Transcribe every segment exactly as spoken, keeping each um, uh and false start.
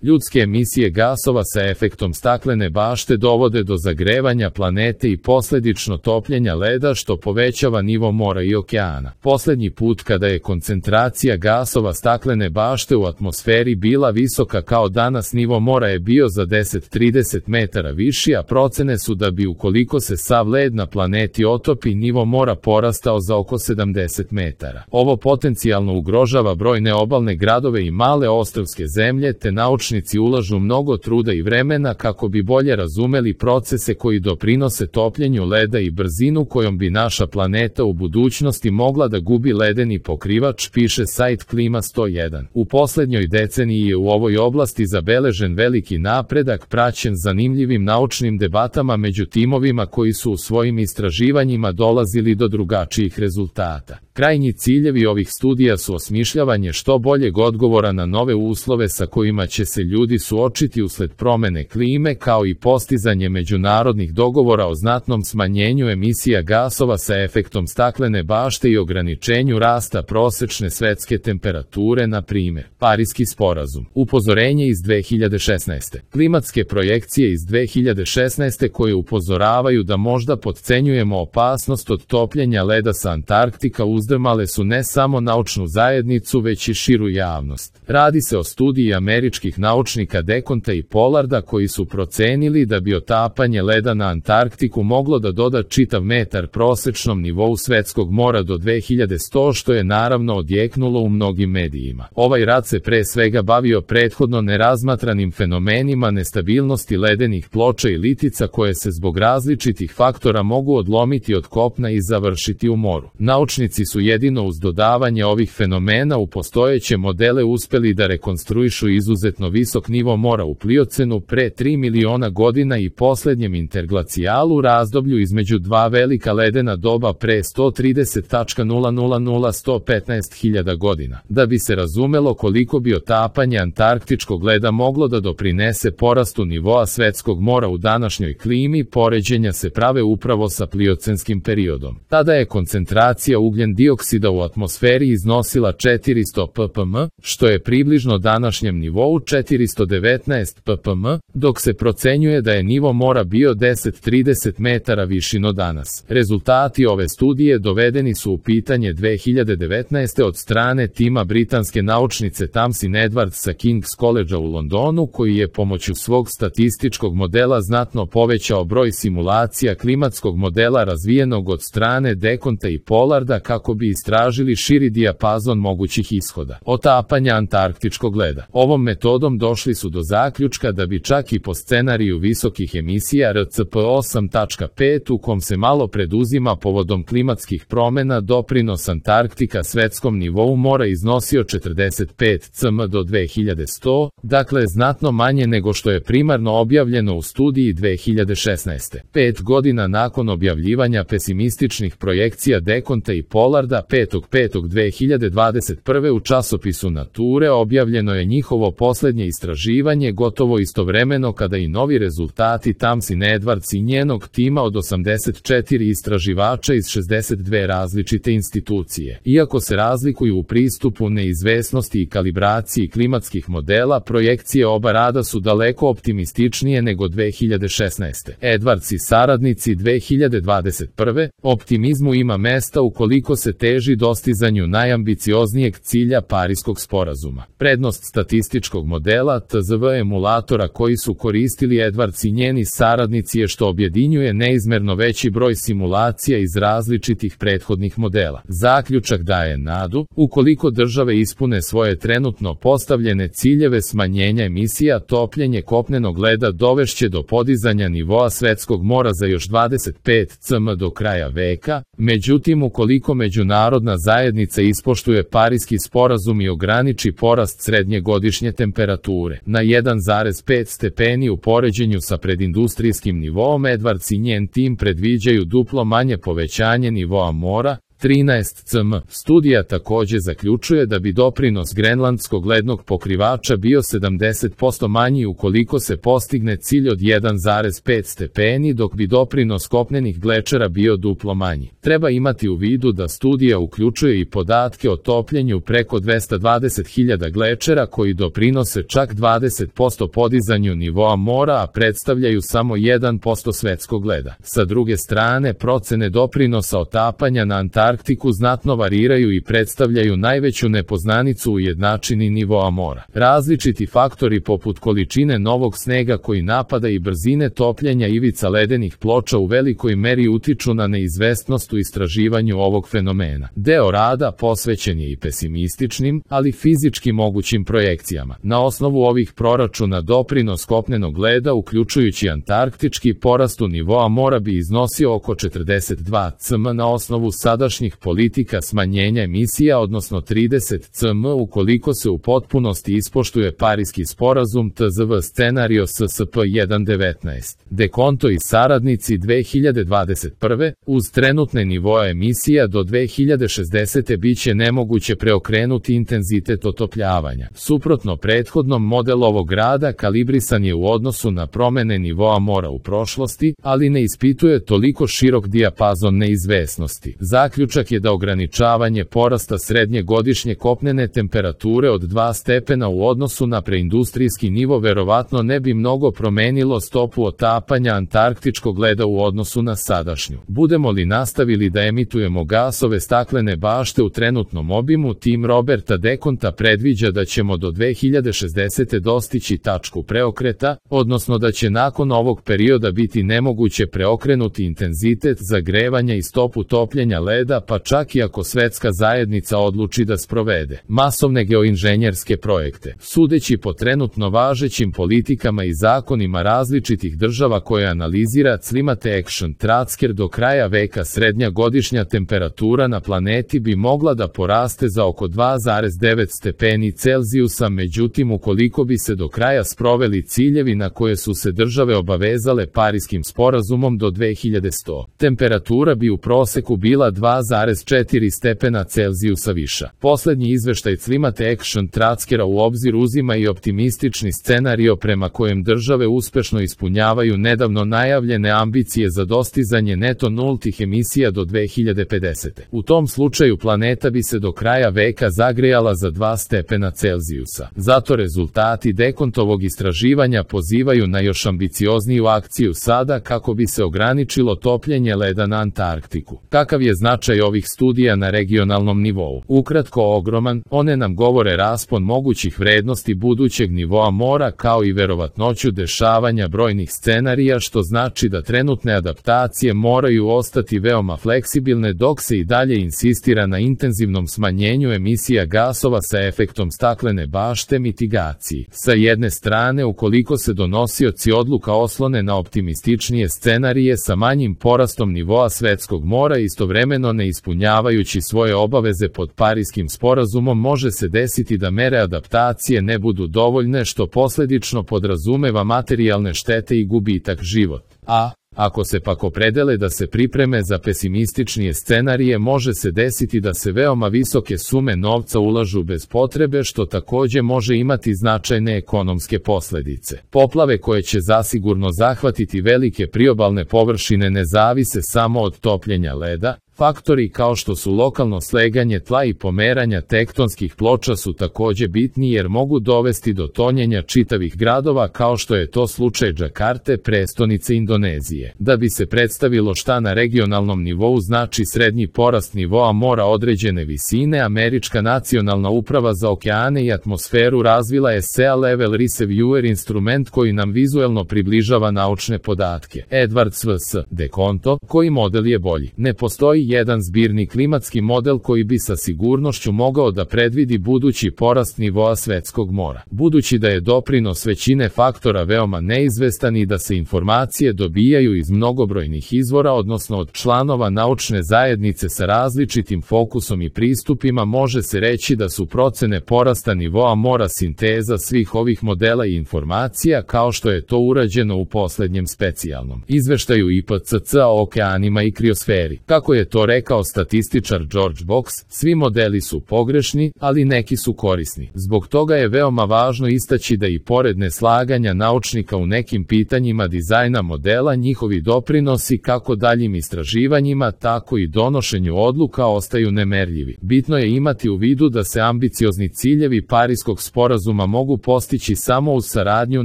Ljudske emisije gasova sa efektom staklene bašte dovode do zagrevanja planete i posljedično topljenja leda što povećava nivo mora i okeana. Posljednji put kada je koncentracija gasova staklene bašte u atmosferi bila visoka kao danas, nivo mora je bio za deset do trideset metara viši, a procene su da bi ukoliko se sav led na planeti otopi, nivo mora porastao za oko sedamdeset metara. Ovo potencijalno ugrožava brojne obalne gradove i male ostrvske zemlje, te naučnici ulažu mnogo truda i vremena kako bi bolje razumeli procese koji doprinose topljenju leda i brzinu kojom bi naša planeta u budućnosti mogla da gubi ledeni pokrivač, piše sajt Klima sto jedan. U posljednjoj deceniji je u ovoj oblasti zabeležen veliki napredak praćen zanimljivim naučnim debatama među timovima koji su u svojim istraživanjima dolazili do drugačijih rezultata. Krajnji ciljevi ovih studija su osmišljavanje što boljeg odgovora na nove uslove sa kojima će se ljudi suočiti usled promene klime, kao i postizanje međunarodnih dogovora o znatnom smanjenju emisija gasova sa efektom staklene bašte i ograničenju rasta prosečne svetske temperature, na primjer. Pariski sporazum. Upozorenje iz dve hiljade šesnaeste. Klimatske projekcije iz dve hiljade šesnaeste koje upozoravaju da možda podcenjujemo opasnost od topljenja leda sa Antarktika uzdrmale su ne samo naučnu zajednicu, već i širu javnost. Radi se o studiji američkih naučnika Deconta i Pollarda koji su procenili da bi otapanje leda na Antarktiku moglo da doda čitav metar prosečnom nivou svetskog mora do dve hiljade sto, što je naravno odjeknulo u mnogim medijima. Ovaj rad se pre svega bavio prethodno nerazmatranim fenomenima nestabilnosti ledenih ploča i litica koje se zbog različitih faktora mogu odlomiti od kopna i završiti u moru. Naučnici su jedino uz dodavanje ovih fenomena u postojeće modele uspeli da rekonstruišu izuzetno visok nivo mora u Pliocenu pre tri miliona godina i posljednjem interglacijalu, razdoblju između dva velika ledena doba pre sto trideset nula nula do sto petnaest hiljada godina. Da bi se razumelo koliko bi otapanje antarktičkog leda moglo da doprinese porastu nivoa svetskog mora u današnjoj klimi, poređenja se prave upravo sa pliocenskim periodom. Tada je koncentracija ugljen dioksida u atmosferi iznosila četiristo ppm, što je približno današnjem nivou četiristo devetnaest ppm, dok se procenjuje da je nivo mora bio deset do trideset metara viši no danas. Rezultati ove studije dovedeni su u pitanje dve hiljade devetnaeste. od strane tima britanske naučnice Tamsin Edwards sa King's Collegea u Londonu, koji je pomoću svog statističkog modela znatno povećao broj simulacija klimatskog modela razvijenog od strane Deconta i Pollarda kako bi istražili širi dijapazon mogućih ishoda otapanja antarktičkog leda. Ovom metodom došli su do zaključka da bi čak i po scenariju visokih emisija R C P osam tačka pet u kom se malo preduzima povodom klimatskih promjena, doprinos Antarktika svetskom nivou mora iznosio četrdeset pet centimetara do dve hiljade sto, dakle znatno manje nego što je primarno objavljeno u studiji dve hiljade šesnaeste. Pet godina nakon objavljivanja pesimističnih projekcija Deconta i Pollarda petog petog dve hiljade dvadeset prve. u časopisu Nature objavljeno je njihovo posljednje istraživanje gotovo istovremeno kada i novi rezultati Tamsin Edwards i njenog tima od osamdeset četiri istraživača iz šezdeset dve različite institucije. Iako se razlikuju u pristupu neizvesnosti i kalibraciji klimatskih modela, projekcije oba rada su daleko optimističnije nego dve hiljade šesnaeste. Edwards i saradnici dve hiljade dvadeset prve. Optimizmu ima mesta ukoliko se teži dostizanju najambicioznijeg cilja Pariskog sporazuma. Prednost statističkog modela T Z V emulatora koji su koristili Edwards i njeni saradnici je što objedinjuje neizmerno veći broj simulacija iz različitih prethodnih modela. Zaključak daje nadu, ukoliko države ispune svoje trenutno postavljene ciljeve smanjenja emisija, topljenje kopnenog leda dovešće do podizanja nivoa svetskog mora za još dvadeset pet centimetara do kraja veka. Međutim, ukoliko međunarodna zajednica ispoštuje Pariski sporazum i ograniči porast srednje godišnje temperature na jedan zarez pet stepeni u poređenju sa predindustrijskim nivoom, Edwards i njen tim predviđaju duplo manje povećanje nivoa mora, trinaest centimetara. Studija takođe zaključuje da bi doprinos grenlandskog lednog pokrivača bio sedamdeset posto manji ukoliko se postigne cilj od jedan zarez pet stepeni, dok bi doprinos kopnenih glečera bio duplo manji. Treba imati u vidu da studija uključuje i podatke o topljenju preko dvesta dvadeset hiljada glečera koji doprinose čak dvadeset posto podizanju nivoa mora, a predstavljaju samo jedan posto svetskog leda. Sa druge strane, procene doprinosa otapanja na Antarktiku znatno variraju i predstavljaju najveću nepoznanicu u jednačini nivoa mora. Različiti faktori poput količine novog snega koji napada i brzine topljenja ivica ledenih ploča u velikoj meri utiču na neizvesnost u istraživanju ovog fenomena. Deo rada posvećen je i pesimističnim, ali fizički mogućim projekcijama. Na osnovu ovih proračuna doprinos kopnenog leda, uključujući antarktički, porastu nivoa mora bi iznosio oko četrdeset dva centimetara na osnovu sadašnjih politika smanjenja emisija, odnosno trideset centimetara ukoliko se u potpunosti ispoštuje Pariski sporazum T Z V scenario S S P jedan devetnaest. Dekonto i saradnici dve hiljade dvadeset prve. Uz trenutne nivoe emisija do dve hiljade šezdesete biće nemoguće preokrenuti intenzitet otopljavanja. Suprotno prethodnom, model ovog rada kalibrisan je u odnosu na promene nivoa mora u prošlosti, ali ne ispituje toliko širok dijapazon neizvesnosti. Zaključak je da ograničavanje porasta srednje godišnje kopnene temperature od dva stepena u odnosu na preindustrijski nivo verovatno ne bi mnogo promenilo stopu otapanja antarktičkog leda u odnosu na sadašnju. Budemo li nastavili da emitujemo gasove staklene bašte u trenutnom obimu, tim Roberta Dekonta predviđa da ćemo do dve hiljade šezdesete dostići tačku preokreta, odnosno da će nakon ovog perioda biti nemoguće preokrenuti intenzitet zagrevanja i stopu topljenja leda, pa čak i ako svetska zajednica odluči da sprovede masovne geoinženjerske projekte. Sudeći po trenutno važećim politikama i zakonima različitih država koje analizira Climate Action Tracker, do kraja veka srednja godišnja temperatura na planeti bi mogla da poraste za oko dva zarez devet stepeni Celzijusa, međutim ukoliko bi se do kraja sproveli ciljevi na koje su se države obavezale Pariskim sporazumom do dve hiljade sto, temperatura bi u proseku bila dva zarez četiri stepena Celzijusa viša. Poslednji izveštaj Climate Action Trackera u obzir uzima i optimistični scenario prema kojem države uspešno ispunjavaju nedavno najavljene ambicije za dostizanje neto nultih emisija do dve hiljade pedesete. U tom slučaju planeta bi se do kraja veka zagrejala za dva stepena Celzijusa. Zato rezultati Dekontovog istraživanja pozivaju na još ambiciozniju akciju sada kako bi se ograničilo topljenje leda na Antarktiku. Kakav je značaj ovih studija na regionalnom nivou? Ukratko, ogroman. One nam govore raspon mogućih vrednosti budućeg nivoa mora kao i verovatnoću dešavanja brojnih scenarija, što znači da trenutne adaptacije moraju ostati veoma fleksibilne dok se i dalje insistira na intenzivnom smanjenju emisija gasova sa efektom staklene bašte mitigaciji. Sa jedne strane, ukoliko se donosioci odluka oslone na optimističnije scenarije sa manjim porastom nivoa svetskog mora istovremeno ne ispunjavajući svoje obaveze pod Pariskim sporazumom, može se desiti da mere adaptacije ne budu dovoljne, što posledično podrazumeva materijalne štete i gubitak života. A ako se pak opredele da se pripreme za pesimističnije scenarije, može se desiti da se veoma visoke sume novca ulažu bez potrebe, što takođe može imati značajne ekonomske posledice. Poplave koje će zasigurno zahvatiti velike priobalne površine ne zavise samo od topljenja leda. Faktori kao što su lokalno sleganje tla i pomeranja tektonskih ploča su takođe bitni jer mogu dovesti do tonjenja čitavih gradova, kao što je to slučaj Džakarte, prestonice Indonezije. Da bi se predstavilo šta na regionalnom nivou znači srednji porast nivoa mora određene visine, Američka nacionalna uprava za okeane i atmosferu razvila je Sea Level Reviewer instrument koji nam vizuelno približava naučne podatke. Edward S V S. Dekonto, koji model je bolji? Ne postoji jedan zbirni klimatski model koji bi sa sigurnošću mogao da predvidi budući porast nivoa svetskog mora. Budući da je doprinos većine faktora veoma neizvestan i da se informacije dobijaju iz mnogobrojnih izvora, odnosno od članova naučne zajednice sa različitim fokusom i pristupima, može se reći da su procene porasta nivoa mora sinteza svih ovih modela i informacija, kao što je to urađeno u poslednjem specijalnom izveštaju I P C C o okeanima i kriosferi. Kako je to to rekao statističar George Box, svi modeli su pogrešni, ali neki su korisni. Zbog toga je veoma važno istaći da i pored neslaganja naučnika u nekim pitanjima dizajna modela, njihovi doprinosi kako daljim istraživanjima, tako i donošenju odluka ostaju nemerljivi. Bitno je imati u vidu da se ambiciozni ciljevi Pariskog sporazuma mogu postići samo uz saradnju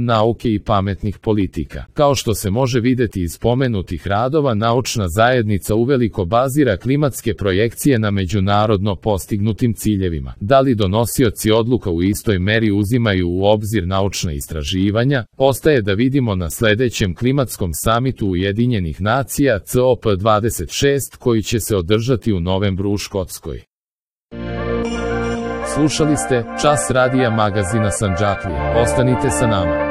nauke i pametnih politika. Kao što se može videti iz spomenutih radova, naučna zajednica uveliko bazira klimatske projekcije na međunarodno postignutim ciljevima. Da li donosioci odluka u istoj meri uzimaju u obzir naučna istraživanja, ostaje da vidimo na sledećem klimatskom samitu Ujedinjenih nacija C O P dvadeset šest koji će se održati u novembru u Škotskoj. Slušali ste Čas radija magazina Sandžaklija. Ostanite sa nama.